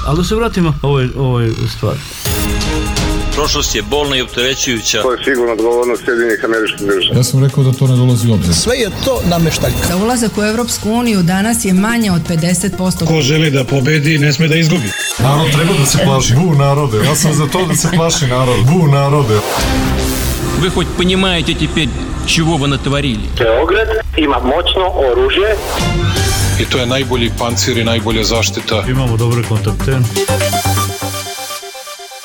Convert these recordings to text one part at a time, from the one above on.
Ali da se vratimo ovoj stvari. Prošlost je bolna i opterećujuća. To je sigurno odgovornost Sjedinjenih Američkih Država. Ja sam rekao da to ne dolazi u obzir. Sve je to nameštaljka. Za ulazak u Evropsku uniju danas je manje od 50%. Ko želi da pobedi, ne sme da izgubi. Narod treba da se plaši. Bu narode. Ja sam za to da se plaši narod. Bu narode. Вы хоть понимаете теперь, чего вы натворили? Beograd ima moćno oružje. I to je najbolji pancir i najbolja zaštita. Imamo dobre kontakte.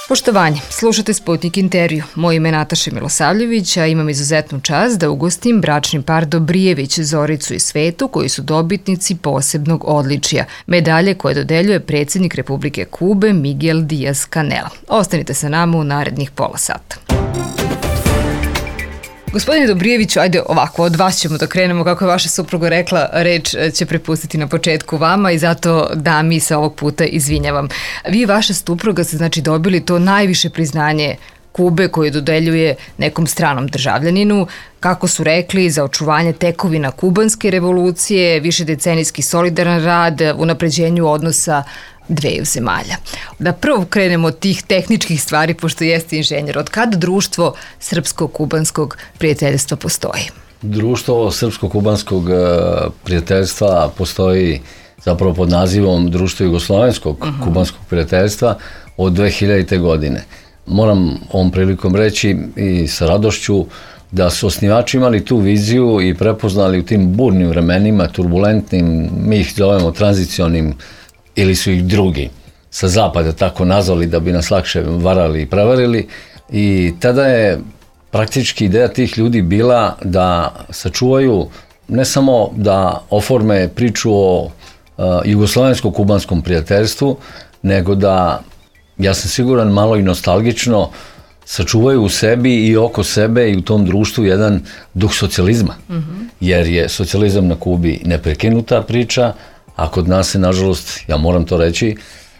Poštovanje, slušate Sputnik intervju. Moje ime je Nataša Milosavljević, a imam izuzetnu čast da ugostim bračni par Dobrijević, Zoricu i Svetu, koji su dobitnici posebnog odličija, medalje koje dodeljuje predsjednik Republike Kube Miguel Díaz-Canel. Ostanite sa nama u narednih pola sata. Gospodine Dobrijeviću, ajde ovako, od vas ćemo da krenemo, kako je vaša supruga rekla, reč će prepustiti na početku vama i zato da mi se ovog puta izvinjavam. Vi i vaša supruga ste znači dobili to najviše priznanje Kube koje dodeljuje nekom stranom državljaninu, kako su rekli, za očuvanje tekovina kubanske revolucije, višedecenijski solidaran rad, unapređenju odnosa dveju zemalja. Da prvo krenemo od tih tehničkih stvari, pošto jeste inženjer. Od kada društvo Srpsko-kubanskog prijateljstva postoji? Društvo Srpsko-kubanskog prijateljstva postoji zapravo pod nazivom Društvo Jugoslovenskog kubanskog prijateljstva od 2000. godine. Moram ovom prilikom reći i sa radošću da su osnivači imali tu viziju i prepoznali u tim burnim vremenima, turbulentnim, mi ih zovemo tranzicionim, ili su ih drugi sa zapada tako nazvali da bi nas lakše varali i prevarili, i tada je praktički ideja tih ljudi bila da sačuvaju, ne samo da oforme priču o jugoslovensko-kubanskom prijateljstvu, nego da, ja sam siguran, malo i nostalgično sačuvaju u sebi i oko sebe i u tom društvu jedan duh socijalizma. Jer je socijalizam na Kubi neprekinuta priča, a kod nas se, nažalost, ja moram to reći,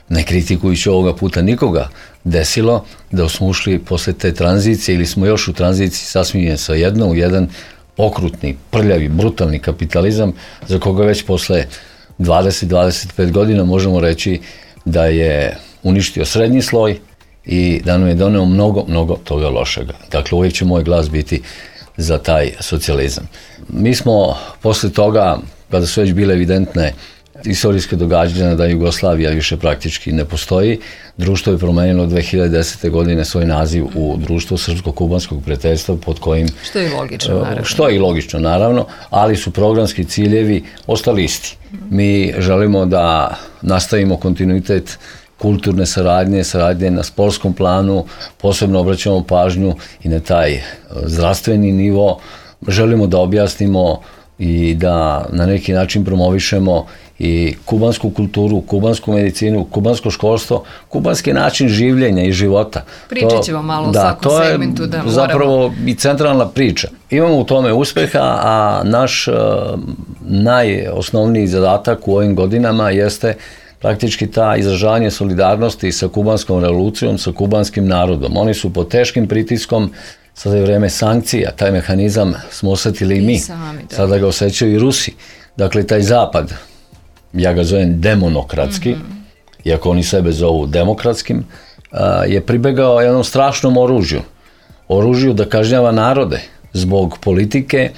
ne kritikujući ovoga puta nikoga, desilo da smo ušli posle te tranzicije ili smo još u tranziciji sasvim svejedno u jedan okrutni, prljavi, brutalni kapitalizam za koga već posle 20-25 godina možemo reći da je uništio srednji sloj i da nam je doneo mnogo toga lošega. Dakle, uvijek će moj glas biti za taj socijalizam. Mi smo posle toga, kada su već bile evidentne istorijske događanja da Jugoslavija više praktički ne postoji, društvo je promenilo 2010. godine svoj naziv u Društvo Srpsko-kubanskog prijateljstva, pod kojim... Što je logično, naravno. Što je i logično, naravno, ali su programski ciljevi ostali isti. Mi želimo da nastavimo kontinuitet kulturne saradnje na sportskom planu, posebno obraćamo pažnju i na taj zdravstveni nivo. Želimo da objasnimo i da na neki način promovišemo i kubansku kulturu, kubansku medicinu, kubansko školstvo, kubanski način življenja i života. Pričat ćemo malo o svakom segmentu. To je zapravo i centralna priča. Imamo u tome uspeha, a naš najosnovniji zadatak u ovim godinama jeste praktički ta izražavanje solidarnosti sa kubanskom revolucijom, sa kubanskim narodom. Oni su pod teškim pritiskom, sada je vreme sankcija, taj mehanizam smo osetili i mi, sada ga osjećaju i Rusi. Dakle, taj zapad, ja ga zovem demonokratski, iako oni sebe zovu demokratskim, je pribegao jednom strašnom oružju da kažnjava narode zbog politike.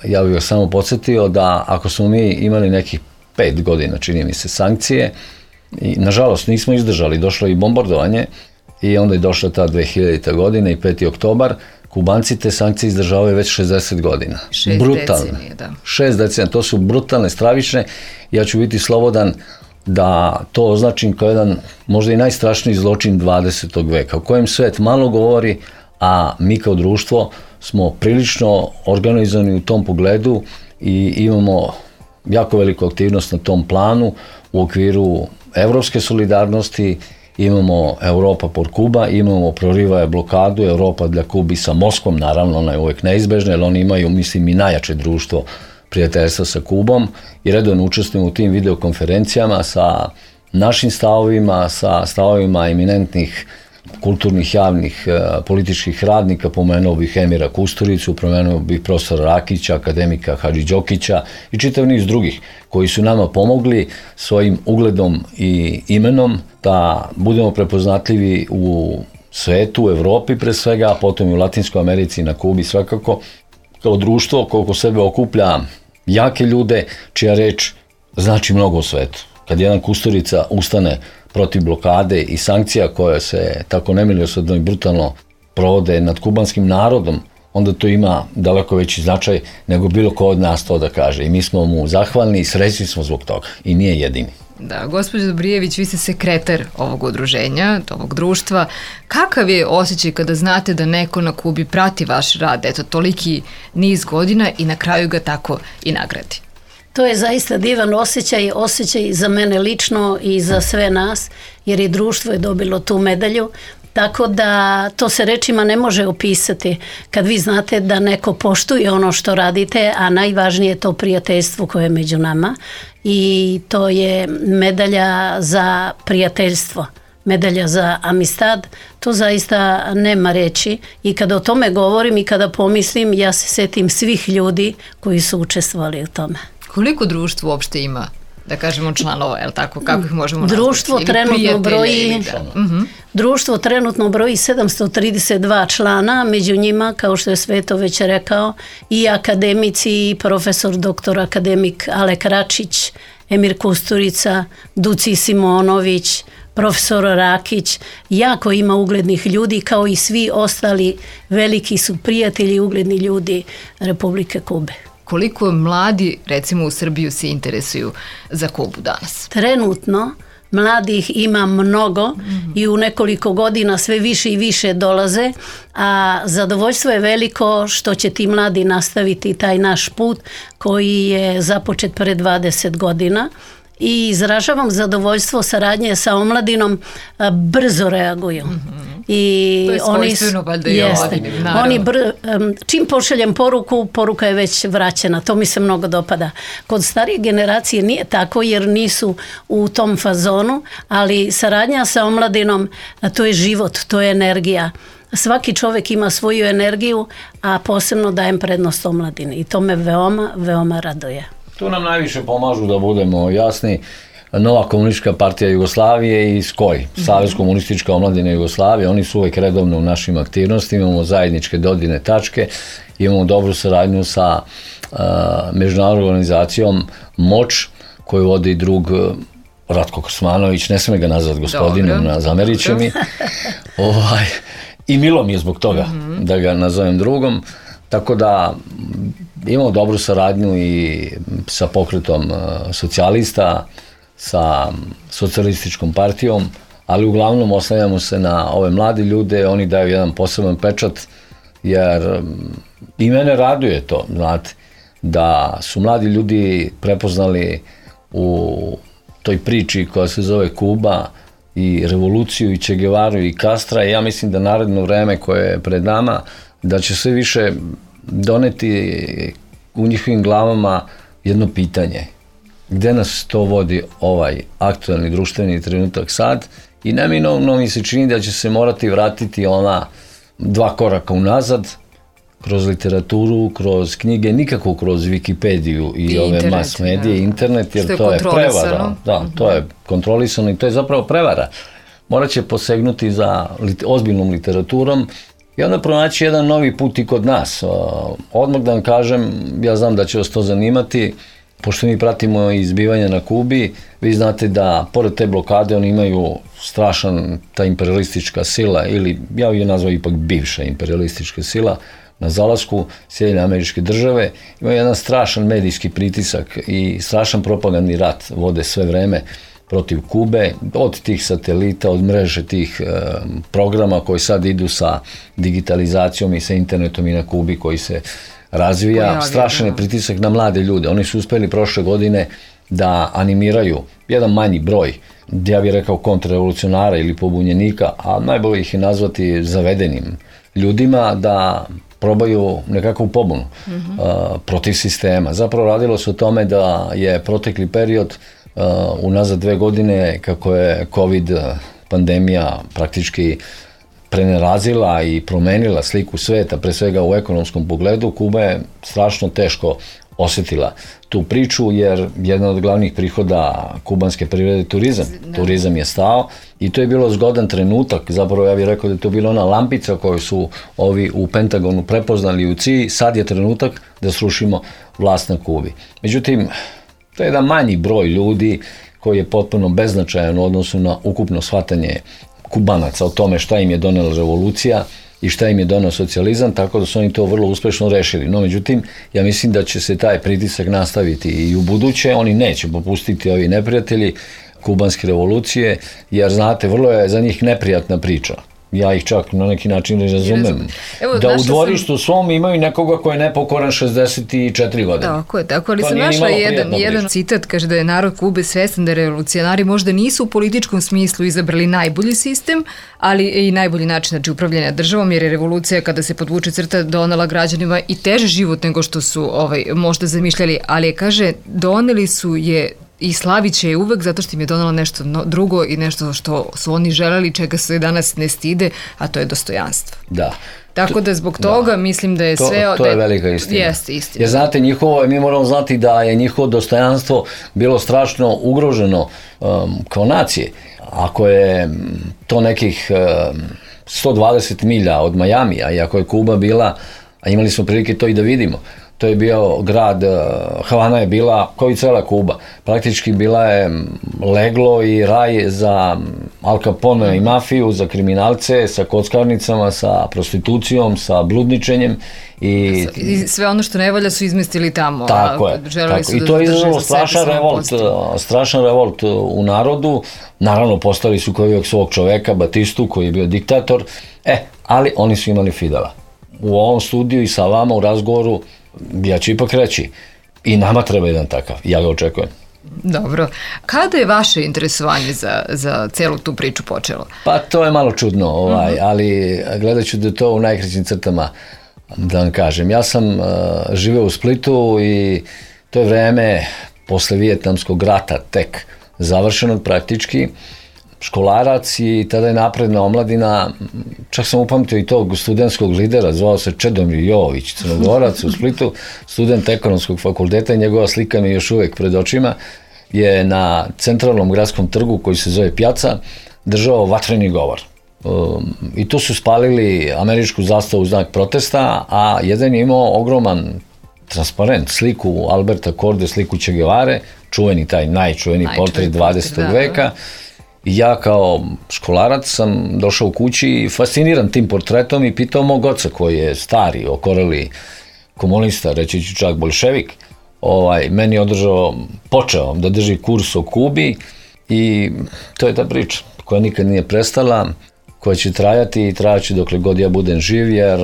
Ja bih vas samo podsjetio da ako smo mi imali nekih 5 godina, čini mi se, sankcije, i nažalost nismo izdržali, došlo je i bombardovanje i onda je došla ta 2000. godina i 5. oktobar, Kubanci te sankcije izdržavaju već 60 godina. 6 decenije, da. 6 decenija, to su brutalne, stravične. Ja ću biti slobodan da to označim kao jedan možda i najstrašniji zločin 20. veka, o kojem svet malo govori, a mi kao društvo smo prilično organizovani u tom pogledu i imamo jako veliku aktivnost na tom planu u okviru evropske solidarnosti. Imamo Europa por Kuba, imamo prorivaje blokadu Europa dla Kubi sa Moskvom, naravno ona je uvijek neizbežna, jer oni imaju, mislim, i najjače društvo prijateljstva sa Kubom i redovno učestvujemo u tim videokonferencijama sa našim stavovima, sa stavovima eminentnih kulturnih, javnih, političkih radnika, pomenuo bih Emira Kusturicu, pomenuo bih profesora Rakića, akademika Hadži Đokića i čitav niz drugih koji su nama pomogli svojim ugledom i imenom da budemo prepoznatljivi u svetu, u Evropi pre svega, a potom i u Latinskoj Americi i na Kubi svakako, kao društvo koje oko sebe okuplja jake ljude čija reč znači mnogo u svetu. Kad jedan Kusturica ustane protiv blokade i sankcija koje se tako nemilosrdno i brutalno provode nad kubanskim narodom, onda to ima daleko veći značaj nego bilo ko od nas to da kaže. I mi smo mu zahvalni i srećni smo zbog toga. I nije jedini. Da, gospođo Dobrijević, vi ste sekretar ovog udruženja, ovog društva. Kakav je osjećaj kada znate da neko na Kubi prati vaš rad, eto, toliki niz godina i na kraju ga tako i nagradi? To je zaista divan osjećaj za mene lično i za sve nas, jer i društvo je dobilo tu medalju. Tako da to se rečima ne može opisati kad vi znate da neko poštuje ono što radite, a najvažnije je to prijateljstvo koje je među nama i to je medalja za prijateljstvo, medalja za amistad, to zaista nema reći i kada o tome govorim i kada pomislim, ja se setim svih ljudi koji su učestvovali u tome. Koliko društvo uopšte ima, da kažemo, članova, je li tako, kako ih možemo nazvati? Društvo trenutno broji 732 člana, među njima, kao što je Sveto već rekao, i akademici, i profesor doktor akademik Alek Račić, Emir Kusturica, Duci Simonović, profesor Rakić, jako ima uglednih ljudi, kao i svi ostali veliki su prijatelji i ugledni ljudi Republike Kube. Koliko mladi, recimo u Srbiju, se interesuju za Kubu danas? Trenutno mladih ima mnogo i u nekoliko godina sve više i više dolaze, a zadovoljstvo je veliko što će ti mladi nastaviti taj naš put koji je započet pre 20 godina. I izražavam zadovoljstvo saradnje sa omladinom, brzo reaguju. I to je svojstveno, valjda i oni čim pošaljem poruku, poruka je već vraćena. To mi se mnogo dopada. Kod starije generacije nije tako jer nisu u tom fazonu, ali saradnja sa omladinom, to je život, to je energija. Svaki čovjek ima svoju energiju, a posebno dajem prednost omladini i to me veoma, veoma raduje. Tu nam najviše pomažu, da budemo jasni, Nova komunistička partija Jugoslavije i SKOJ, Savez komunistička omladina Jugoslavije. Oni su uvijek redovno u našim aktivnostima, imamo zajedničke dodirne tačke, imamo dobru saradnju sa međunarodnom organizacijom MOČ, koju vodi drug Ratko Krsmanović, ne smije ga nazvati gospodinom, zameriće mi. I milo mi je zbog toga da ga nazovem drugom. Tako da imamo dobru saradnju i sa pokretom socijalista, sa socijalističkom partijom, ali uglavnom oslanjamo se na ove mladi ljude, oni daju jedan poseban pečat, jer i mene raduje to, znate, da su mladi ljudi prepoznali u toj priči koja se zove Kuba i revoluciju i Che Guevaru i Castra, i ja mislim da naredno vreme koje je pred nama, da će sve više doneti u njihovim glavama jedno pitanje. Gde nas to vodi ovaj aktualni društveni trenutak sad? I neminovno mi se čini da će se morati vratiti ona 2 koraka unazad, kroz literaturu, kroz knjige, nikako kroz Wikipediju i ove internet, mass medije, internet, jer što je to je prevara. kontrolisano. Da, to je kontrolisano i to je zapravo prevara. Morat će posegnuti za ozbiljnom literaturom i onda pronaći jedan novi put i kod nas. Odmah da vam kažem, ja znam da će vas to zanimati, pošto mi pratimo izbivanja na Kubi, vi znate da pored te blokade oni imaju strašan, ta imperialistička sila, ili ja je nazvao ipak bivša imperialistička sila, na zalasku Sjedinjene Američke Države, imaju jedan strašan medijski pritisak i strašan propagandni rat vode sve vreme protiv Kube, od tih satelita, od mreže tih programa koji sad idu sa digitalizacijom i sa internetom i na Kubi koji se razvija. Strašan je pritisak na mlade ljude. Oni su uspeli prošle godine da animiraju jedan manji broj, ja bih rekao kontrarevolucionara ili pobunjenika, a najbolje ih je nazvati zavedenim ljudima, da probaju nekakvu pobunu protiv sistema. Zapravo radilo se o tome da je protekli period unazad 2 godine, kako je COVID pandemija praktički prenerazila i promenila sliku sveta, pre svega u ekonomskom pogledu, Kuba je strašno teško osetila tu priču, jer jedan od glavnih prihoda kubanske privrede je turizam. Turizam je stao i to je bilo zgodan trenutak, zapravo ja bih rekao da je to bila ona lampica koju su ovi u Pentagonu prepoznali u CIA, sad je trenutak da srušimo vlast na Kubi. Međutim, to je jedan manji broj ljudi koji je potpuno beznačajan u odnosu na ukupno shvatanje Kubanaca o tome šta im je donela revolucija i šta im je donao socijalizam, tako da su oni to vrlo uspešno rešili. No, međutim, ja mislim da će se taj pritisak nastaviti i u buduće, oni neće popustiti ovi neprijatelji kubanske revolucije, jer znate, vrlo je za njih neprijatna priča. Ja ih čak na neki način ne razumem. Da u dvorištu svom imaju nekoga ko je nepokoran 64 godine. Tako je, ali sam našla jedan citat, kaže da je narod Kube svestan da revolucionari možda nisu u političkom smislu izabrali najbolji sistem, ali i najbolji način upravljanja državom, jer je revolucija, kada se podvuče crta, donela građanima i teže život nego što su možda zamišljali, ali kaže, doneli su je i slavit će je uvek zato što im je donala nešto drugo i nešto što su oni želeli, čega se danas ne stide, a to je dostojanstvo. Da. Tako da zbog toga mislim da je sve... To je velika istina. Jeste istina. Jer znate, mi moramo znati da je njihovo dostojanstvo bilo strašno ugroženo kao nacije. Ako je to nekih 120 milja od Majamija i ako je Kuba bila, a imali smo prilike to i da vidimo, to je bio grad, Havana je bila, kao i cela Kuba, praktički bila je leglo i raj za Al Capone i mafiju, za kriminalce, sa kockarnicama, sa prostitucijom, sa bludničenjem. I sve ono što ne valja su izmestili tamo. Tako je. I to je izazvalo strašan revolt u narodu. Naravno, postali su kao uvijek svog čoveka, Batistu, koji je bio diktator, ali oni su imali Fidela. U ovom studiju i sa vama u razgovoru ja ću ipak reći, i nama treba jedan takav, ja ga očekujem. Dobro. Kada je vaše interesovanje za celu tu priču počelo? Pa to je malo čudno, ali gledat ću da to u najkraćim crtama da vam kažem. Ja sam živeo u Splitu i to je vreme posle Vijetnamskog rata tek završenog praktički, školarac i tada je napredna omladina, čak sam upamtio i tog studentskog lidera, zvao se Čedomir Jovović, Crnogorac u Splitu, student ekonomskog fakulteta i njegova slika mi je još uvek pred očima, je na centralnom gradskom trgu koji se zove Pjaca držao vatreni govor. I tu su spalili američku zastavu u znak protesta, a jedan je imao ogroman transparent, sliku Alberta Korde, sliku Che Guevare, čuveni taj najčuveniji portret 20. veka. I ja kao školarac sam došao u kući i fasciniran tim portretom i pitao mog oca koji je stari, okoreli komunista, reći ću čak bolševik, meni je počeo da drži kurs o Kubi i to je ta priča koja nikad nije prestala, koja će trajati i trajaće dokle god ja budem živ, jer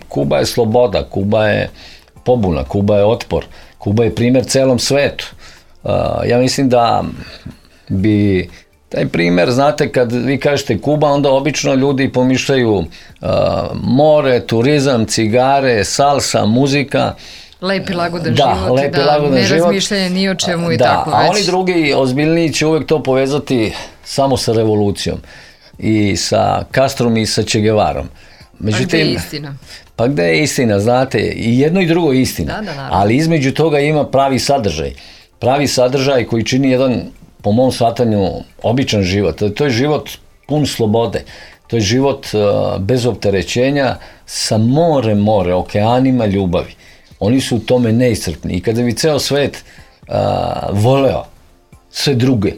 Kuba je sloboda, Kuba je pobuna, Kuba je otpor, Kuba je primer celom svetu. Ja mislim da bi taj primer, znate, kad vi kažete Kuba, onda obično ljudi pomišljaju more, turizam, cigare, salsa, muzika. Lepi lagodan život, ne razmišljanje ni o čemu i tako već. A oni drugi ozbiljniji će uvek to povezati samo sa revolucijom i sa Castrom i sa Che Guevarom. Međutim, gde je istina? Pa gde je istina, znate, i jedno i drugo je istina, ali između toga ima pravi sadržaj. Pravi sadržaj koji čini jedan, po mom shvatanju, običan život. To je život pun slobode. To je život bez opterećenja, sa more, okeanima ljubavi. Oni su u tome neiscrpni. I kada bi ceo svet voleo sve druge,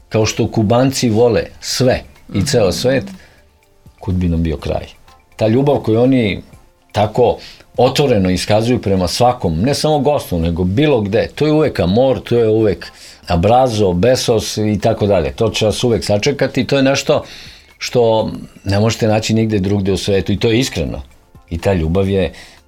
kao što Kubanci vole sve i ceo svet, kud bi nam bio kraj. Ta ljubav koju oni tako otvoreno iskazuju prema svakom, ne samo gostu, nego bilo gde, to je uvek amor, to je uvek abrazo, besos i tako dalje. To će vas uvek sačekati i to je nešto što ne možete naći nigde drugde u svetu i to je iskreno. I ta ljubav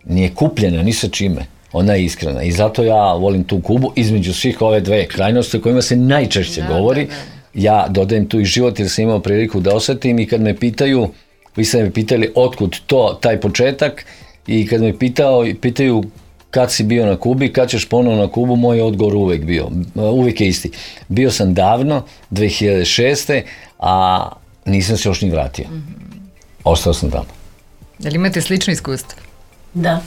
nije kupljena ni sa čime, ona je iskrena i zato ja volim tu Kubu između svih ove dve krajnosti o kojima se najčešće govori. Ja dodajem tu i život jer sam imao priliku da osetim i kad me pitaju, vi ste me pitali otkud taj početak i kad me pitaju kad si bio na Kubi, kad ćeš ponovno na Kubu, moj odgovor uvijek je isti. Bio sam davno, 2006. a nisam se još ni vratio. ostao sam tamo. Da li imate slično iskustvo? Da.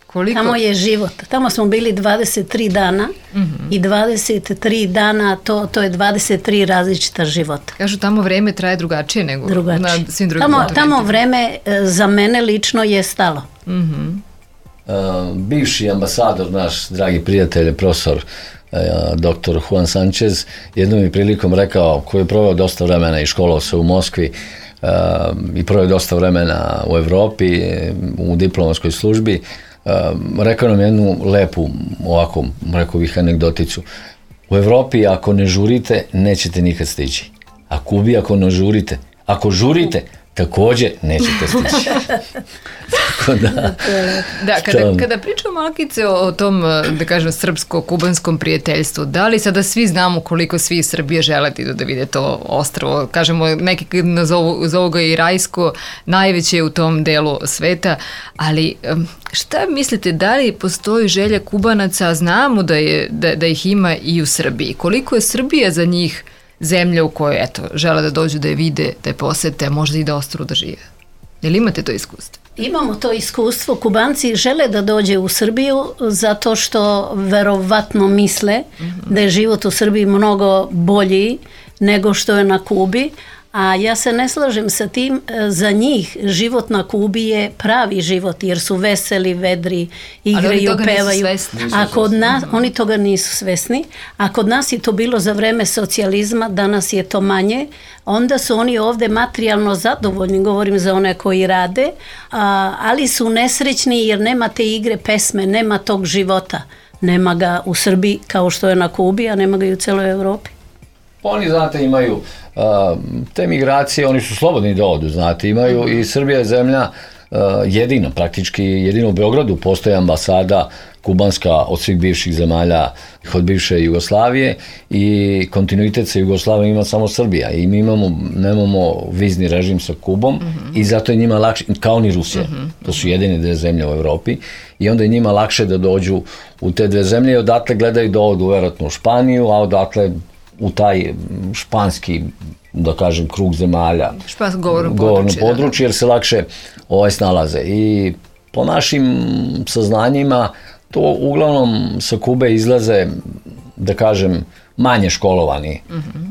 Koliko? Tamo je život. Tamo smo bili 23 dana i 23 dana to je 23 različita života. Kažu tamo vreme traje drugačije nego na svim drugim kontinentima. Tamo vreme za mene lično je stalo. Bivši ambasador, naš dragi prijatelj, profesor dr. Juan Sanchez, jednom je prilikom rekao, koji je proveo dosta vremena i školovao se u Moskvi i proveo dosta vremena u Evropi, u diplomatskoj službi, rekao nam jednu lepu, ovako, rekao bih, anegdoticu. U Evropi ako ne žurite, nećete nikad stići. A Kubi ako ne žurite, ako žurite, također nećete stići. Kada pričamo malkice o tom, da kažem, srpsko-kubanskom prijateljstvu, da li sada svi znamo koliko svi iz Srbije žele da vide to ostrvo? Kažemo, neki zovu ga i rajsko, najveće u tom delu sveta, ali šta mislite, da li postoji želja Kubanaca, znamo da ih ima i u Srbiji? Koliko je Srbija za njih zemlja u kojoj, eto, žele da dođu da je vide, da je posete, možda i da ostru da žive? Je li imate to iskustvo? Imamo to iskustvo. Kubanci žele da dođe u Srbiju zato što verovatno misle da je život u Srbiji mnogo bolji nego što je na Kubi, a ja se ne slažem sa tim. Za njih život na Kubi je pravi život jer su veseli, vedri, igraju, pevaju. A kod nas, oni toga nisu svesni, a kod nas je to bilo za vreme socijalizma, danas je to manje. Onda su oni ovde materijalno zadovoljni, govorim za one koji rade, ali su nesrećni jer nema te igre, pesme, nema tog života. Nema ga u Srbiji kao što je na Kubi, a nema ga i u celoj Evropi. Oni, znate, imaju te migracije, oni su slobodni da odu, znate, imaju i Srbija je zemlja jedino u Beogradu postoji ambasada kubanska od svih bivših zemalja, od bivše Jugoslavije i kontinuitet sa Jugoslavijom ima samo Srbija i mi nemamo vizni režim sa Kubom i zato je njima lakše, kao ni Rusija, to su jedine dve zemlje u Evropi i onda je njima lakše da dođu u te dve zemlje i odatle gledaju da odu verovatno u Španiju, a odatle u taj španski, da kažem, krug zemalja, govorno područje, jer se lakše snalaze. I po našim saznanjima, to uglavnom sa Kube izlaze, da kažem, manje školovani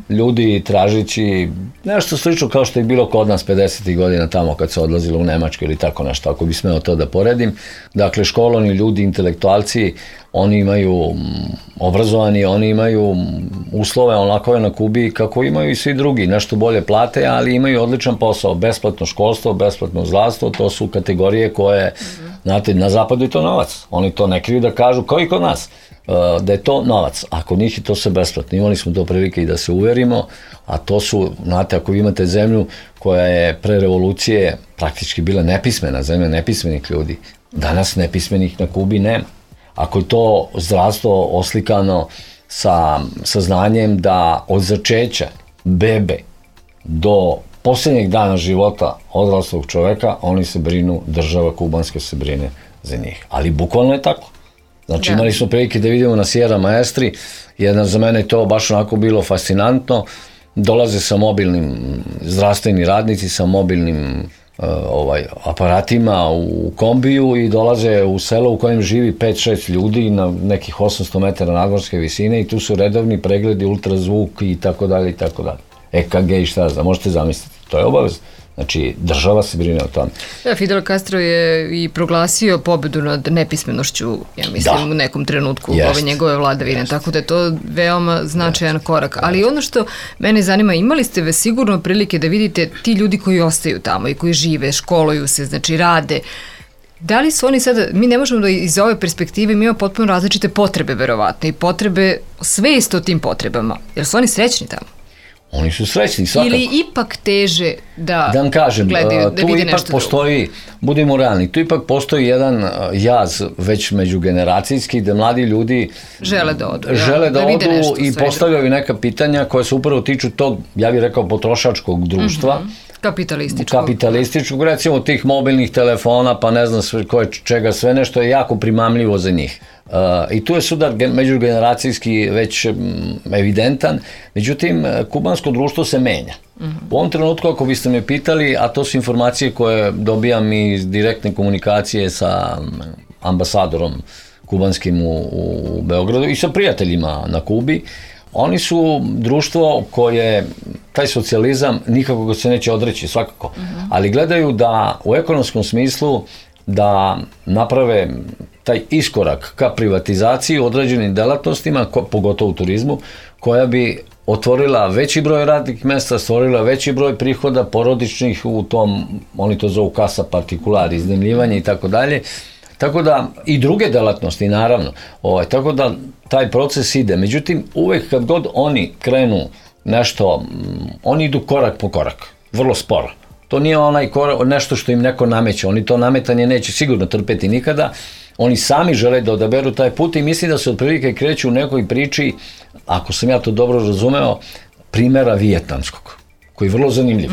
ljudi tražići nešto slično kao što je bilo kod nas 50. godina tamo kad se odlazilo u Nemačku ili tako nešto, ako bi smeo to da poredim. Dakle, školovani ljudi, intelektualci, oni imaju obrazovani, oni imaju uslove onako na Kubi kako imaju i svi drugi, nešto bolje plate, ali imaju odličan posao, besplatno školstvo, besplatno zdravstvo, to su kategorije koje, znate, na zapadu je to novac, oni to ne kriju da kažu kao i kod nas, da je to novac, a kod njih je to sve besplatno. Imali smo to prilike i da se uverimo, a to su, znate, ako vi imate zemlju koja je pre revolucije praktički bila nepismena, zemlja nepismenih ljudi, danas nepismenih na Kubi nema. Ako je to zdravstvo oslikano sa znanjem da od začeća bebe do posljednjeg dana života odraslog čoveka, oni se brinu, država kubanska se brine za njih. Ali bukvalno je tako. Znači, imali smo prilike da vidimo na Sierra Maestri, jer za mene je to baš onako bilo fascinantno. Dolaze sa mobilnim zdravstveni radnici, sa mobilnim aparatima u kombiju i dolaze u selo u kojem živi 5-6 ljudi na nekih 800 metara nadmorske visine i tu su redovni pregledi, ultrazvuk i tako dalje i tako dalje. EKG i šta znam, možete zamisliti, to je obavezno. Znači, država se brine o tome. Fidel Castro je i proglasio pobedu nad nepismenošću, ja mislim, u nekom trenutku ove njegove vladavine, tako da je to veoma značajan korak. Ali ono što mene zanima, imali ste sigurno prilike da vidite ti ljudi koji ostaju tamo i koji žive, školuju se, znači rade. Da li su oni sada, mi ne možemo da iz ove perspektive, mi imamo potpuno različite potrebe, verovatno, i potrebe, svest o tim potrebama. Jer su oni srećni tamo? Oni su srećni, svakako. Ili ipak teže da vam kažem, gledaju, da tu vide ipak nešto postoji, budimo realni, tu ipak postoji jedan jaz već međugeneracijski, da mladi ljudi žele da odu i postavljaju neka pitanja koja se upravo tiču tog, ja bih rekao, potrošačkog društva. Kapitalističkog, recimo tih mobilnih telefona, pa ne znam čega sve, nešto je jako primamljivo za njih. I tu je sudar međugeneracijski već evidentan, međutim, kubansko društvo se menja. U ovom trenutku, ako biste me pitali, a to su informacije koje dobijam iz direktne komunikacije sa ambasadorom kubanskim u Beogradu i sa prijateljima na Kubi, oni su društvo koje, taj socijalizam nikako ga se neće odreći, svakako, ali gledaju da u ekonomskom smislu da naprave taj iskorak ka privatizaciji u određenim delatnostima, pogotovo u turizmu, koja bi otvorila veći broj radnih mesta, stvorila veći broj prihoda porodičnih u tom, oni to zovu kasa partikulari, iznajmljivanje i tako dalje. Tako da, i druge delatnosti, naravno, tako da taj proces ide. Međutim, uvek kad god oni krenu nešto, oni idu korak po korak, vrlo sporo. To nije onaj nešto što im neko nameće, oni to nametanje neće sigurno trpeti nikada, oni sami žele da odaberu taj put i mislim da se otprilike kreću u nekoj priči, ako sam ja to dobro razumeo, primjera vijetnamskog, koji je vrlo zanimljiv.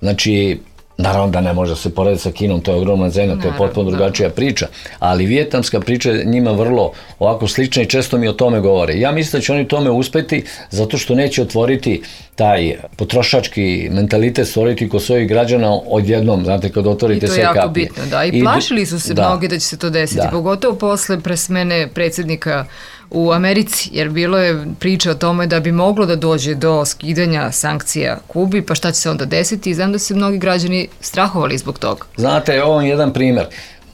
Znači, naravno da ne može da se porediti sa Kinom, to je ogromna zemlja, to je potpuno drugačija priča, ali vijetnamska priča je njima vrlo ovako slična i često mi o tome govore. Ja mislim da će oni tome uspeti zato što neće otvoriti taj potrošački mentalitet, stvoriti kod svojih građana odjednom, znate, kad otvorite sve kapije. I to je jako bitno, da. I plašili su se mnogi da će se to desiti, pogotovo posle presmene predsjednika u Americi, jer bilo je priča o tome da bi moglo da dođe do skidanja sankcija Kubi, pa šta će se onda desiti, i znam da se mnogi građani strahovali zbog toga. Znate, ovo je jedan primjer.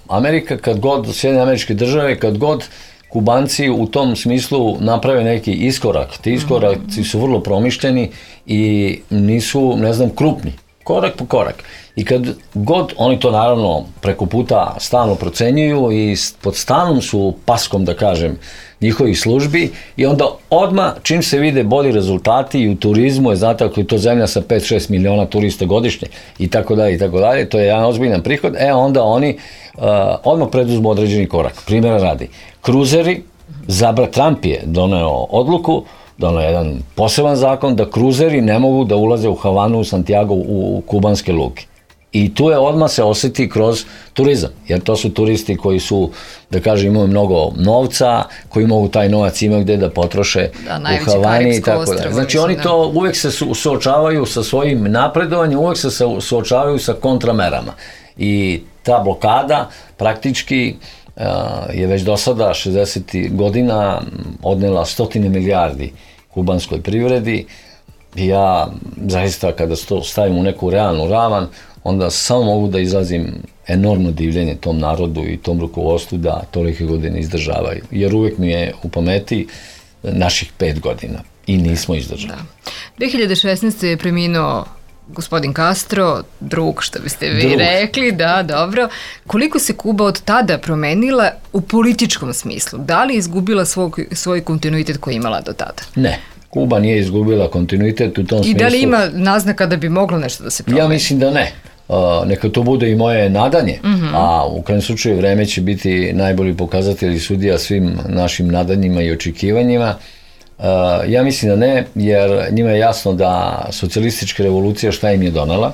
Amerika, kad god, Sjedinjene Američke Države, kad god Kubanci u tom smislu naprave neki iskorak, ti iskoraci su vrlo promišljeni i nisu, ne znam, krupni. Korak po korak. I kad god, oni to naravno preko puta stalno procenjuju i pod stalnom su paskom, da kažem, njihovih službi i onda odmah, čim se vide bolji rezultati i u turizmu, je, znate, ako je to zemlja sa 5-6 miliona turista godišnje i tako dalje, to je jedan ozbiljan prihod, onda oni odmah preduzmu određeni korak. Primjera radi, kruzeri, Trump je doneo odluku, doneo jedan poseban zakon da kruzeri ne mogu da ulaze u Havanu, u Santiago, u kubanske luke. I tu je odmah se osjeti kroz turizam, jer to su turisti koji su, da kažem, imaju mnogo novca, koji mogu taj novac imati gdje da potroše u Havani i tako da. Znači oni to uvijek se suočavaju sa svojim napredovanjem, uvijek se suočavaju sa kontramerama. I ta blokada praktički je već do sada 60 godina odnela 100 milijardi kubanskoj privredi. Ja zaista kada to stavim u neku realnu ravan, onda samo mogu da izrazim enormno divljenje tom narodu i tom rukovodstvu da tolike godine izdržavaju. Jer uvijek mi je u pameti naših 5 godina i nismo izdržali. 2016. je preminuo gospodin Castro, drug, što biste vi rekli, da, dobro. Koliko se Kuba od tada promenila u političkom smislu? Da li je izgubila svoj kontinuitet koji je imala do tada? Ne. Kuba nije izgubila kontinuitet u tom smislu. I da li ima naznaka da bi moglo nešto da se promeni? Ja mislim da ne. Neka to bude i moje nadanje, a u krajnjem slučaju vreme će biti najbolji pokazatelj i sudija svim našim nadanjima i očekivanjima. Ja mislim da ne, jer njima je jasno da socijalistička revolucija šta im je donela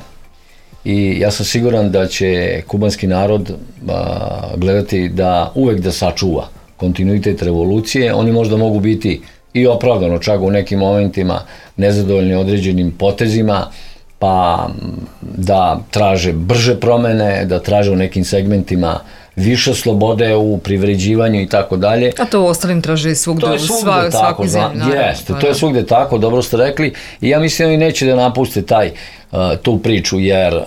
i ja sam siguran da će kubanski narod gledati da uvek da sačuva kontinuitet revolucije. Oni možda mogu biti i opravdano čak u nekim momentima nezadovoljni određenim potezima, pa da traže brže promene, da traže u nekim segmentima više slobode u privređivanju i tako dalje. A to u ostalim traže svugde u svakoj zemlji. Jeste, to je svugde tako, dobro ste rekli, i ja mislim da oni neće da napuste tu priču, jer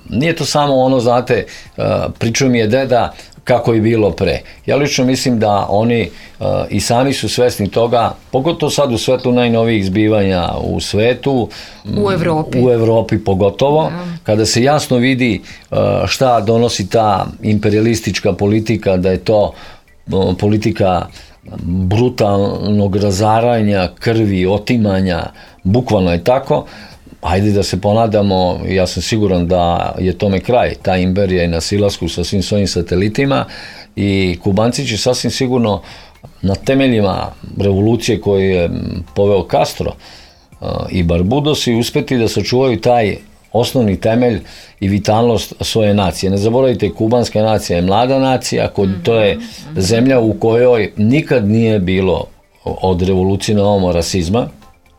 nije to samo ono, znate, pričao mi je deda kako je bilo pre. Ja lično mislim da oni i sami su svesni toga, pogotovo sad u svetlu najnovijih zbivanja u svetu, u Evropi pogotovo, kada se jasno vidi šta donosi ta imperialistička politika, da je to politika brutalnog razaranja, krvi, otimanja, bukvalno je tako. Ajde da se ponadamo, ja sam siguran da je tome kraj, ta imperija je na silasku sa svim svojim satelitima i Kubanci će sasvim sigurno na temeljima revolucije koju je poveo Castro i Barbudosi uspeti da sačuvaju taj osnovni temelj i vitalnost svoje nacije. Ne zaboravite, kubanska nacija je mlada nacija, to je zemlja u kojoj nikad nije bilo od revolucije na ovamo rasizma,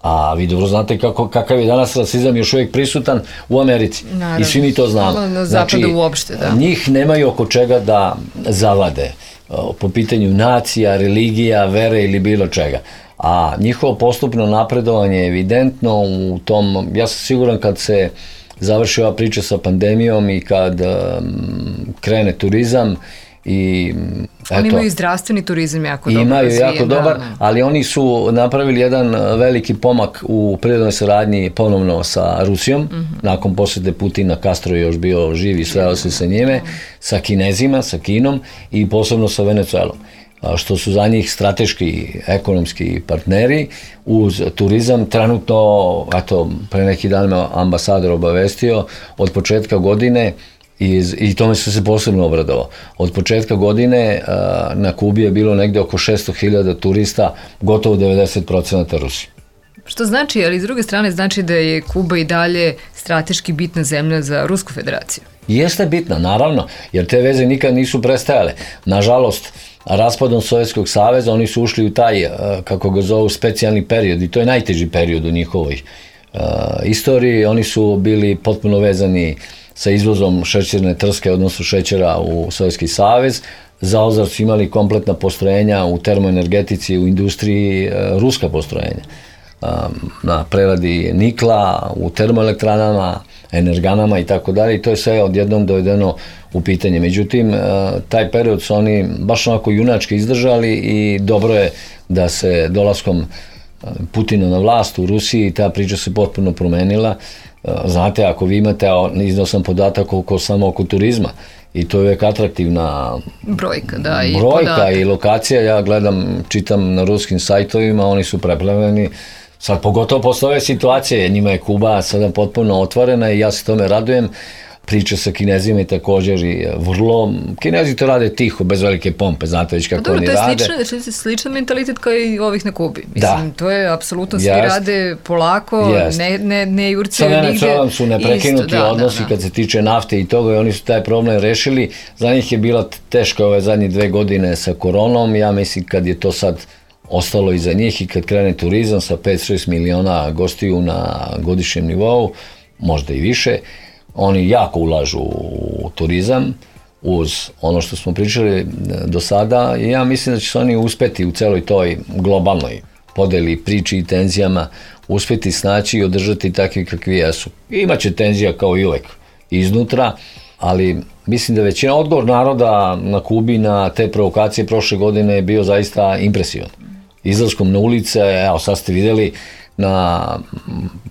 a vi dobro znate kakav je danas rasizam još uvijek prisutan u Americi. Naravno. I svi mi to znamo. Na zapadu uopšte, da. Njih nemaju oko čega da zavade po pitanju nacija, religija, vere ili bilo čega. A njihovo postupno napredovanje je evidentno u tom, ja sam siguran kad se završi ova priča sa pandemijom i kad krene turizam i oni imaju i zdravstveni turizam jako dobar. Imaju jako dobar, ali oni su napravili jedan veliki pomak u prirodnoj saradnji ponovno sa Rusijom, nakon posjete Putina. Castro je još bio živ i sreo se sa njime, sa Kinezima, sa Kinom i posebno sa Venezuelom, što su za njih strateški ekonomski partneri uz turizam. Trenutno, pre neki dan me ambasador obavestio, od početka godine, i tome su se posebno obradovao, od početka godine na Kubi je bilo negde oko 600.000 turista, gotovo 90% Rusi. Što znači, ali s druge strane znači da je Kuba i dalje strateški bitna zemlja za Rusku federaciju. Jeste bitna, naravno, jer te veze nikad nisu prestajale. Nažalost, raspadom Sovjetskog saveza oni su ušli u taj, kako ga zovu, specijalni period, i to je najteži period u njihovoj istoriji. Oni su bili potpuno vezani sa izvozom šećerne trske, odnosno šećera u Sovjetski savez. Zauzvrat su imali kompletna postrojenja u termoenergetici, u industriji, ruska postrojenja. Na preradi nikla, u termoelektranama, energanama i tako dalje, i to je sve odjednom dovedeno u pitanje. Međutim, taj period su oni baš onako junački izdržali i dobro je da se dolaskom Putina na vlast u Rusiji ta priča se potpuno promenila. Znate, ako vi imate, iznao sam podatak samo oko turizma, i to je uvijek atraktivna brojka, da, i brojka i lokacija. Ja gledam, čitam na ruskim sajtovima, oni su preplavljeni. Sad pogotovo posle ove situacije, njima je Kuba sada potpuno otvorena i ja se tome radujem. Priča sa Kinezima i također i vrlo, Kinezi to rade tiho, bez velike pompe, znate već kako oni rade. To je sličan mentalitet kao i ovih na Kubi. Mislim, to je apsolutno, svi rade polako, ne jurcaju nigde. Sa Venezuelom su neprekinuti odnosi kad se tiče nafte i toga, i oni su taj problem rešili. Za njih je bila teška ove zadnje 2 godine sa koronom. Ja mislim kad je to sad ostalo iza njih i kad krene turizam sa 5-6 miliona gostiju na godišnjem nivou, možda i više, oni jako ulažu u turizam uz ono što smo pričali do sada, i ja mislim da će se oni uspeti u celoj toj globalnoj podeli, priči i tenzijama uspeti snaći i održati takvi kakvi jesu. Imaće tenzija kao i uvek iznutra, ali mislim da većina, odgovor naroda na Kubi na te provokacije prošle godine je bio zaista impresivan. Izlaskom na ulice, evo sad ste videli na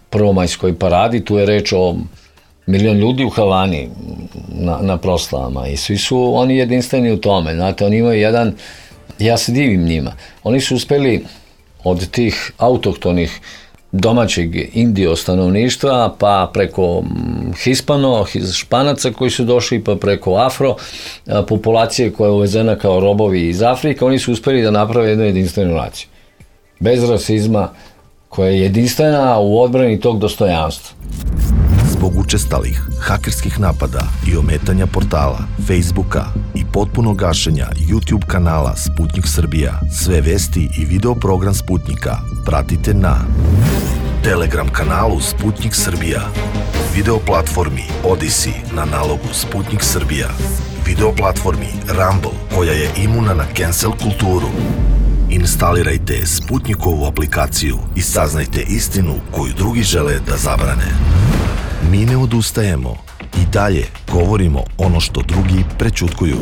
prvomajskoj paradi, tu je reč o 1 milion ljudi u Havani na proslavama, i svi su oni jedinstveni u tome. Znate, oni imaju jedan, ja se divim njima, oni su uspeli od tih autohtonih domaćeg indio stanovništva, pa preko Španaca koji su došli, pa preko afro populacije koja je uvezena kao robovi iz Afrike, oni su uspeli da naprave jednu jedinstvenu naciju. Bez rasizma, koja je jedinstvena u odbrani tog dostojanstva. Zbog učestalih hakerskih napada i ometanja portala, Facebooka i potpunog gašenja YouTube kanala Sputnik Srbija, sve vesti i video program Sputnika pratite na Telegram kanalu Sputnik Srbija, video platformi Odyssey na nalogu Sputnik Srbija, video platformi Rumble koja je imuna na cancel kulturu. Instalirajte Sputnikovu aplikaciju i saznajte istinu koju drugi žele da zabrane. Mi ne odustajemo i dalje govorimo ono što drugi prećutkuju.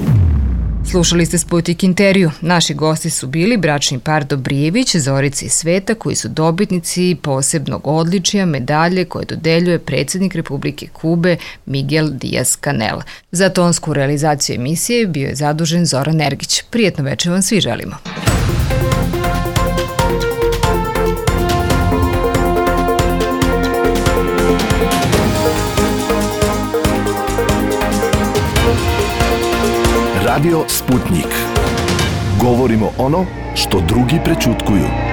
Slušali ste Sputnik intervju. Naši gosti su bili bračni par Dobrijević, Zorica i Sveta, koji su dobitnici posebnog odličja medalje koje dodeljuje predsjednik Republike Kube Miguel Díaz-Canel. Za tonsku realizaciju emisije bio je zadužen Zoran Ergić. Prijetno večer vam svi želimo. Radio Sputnik. Govorimo ono što drugi prećutkuju.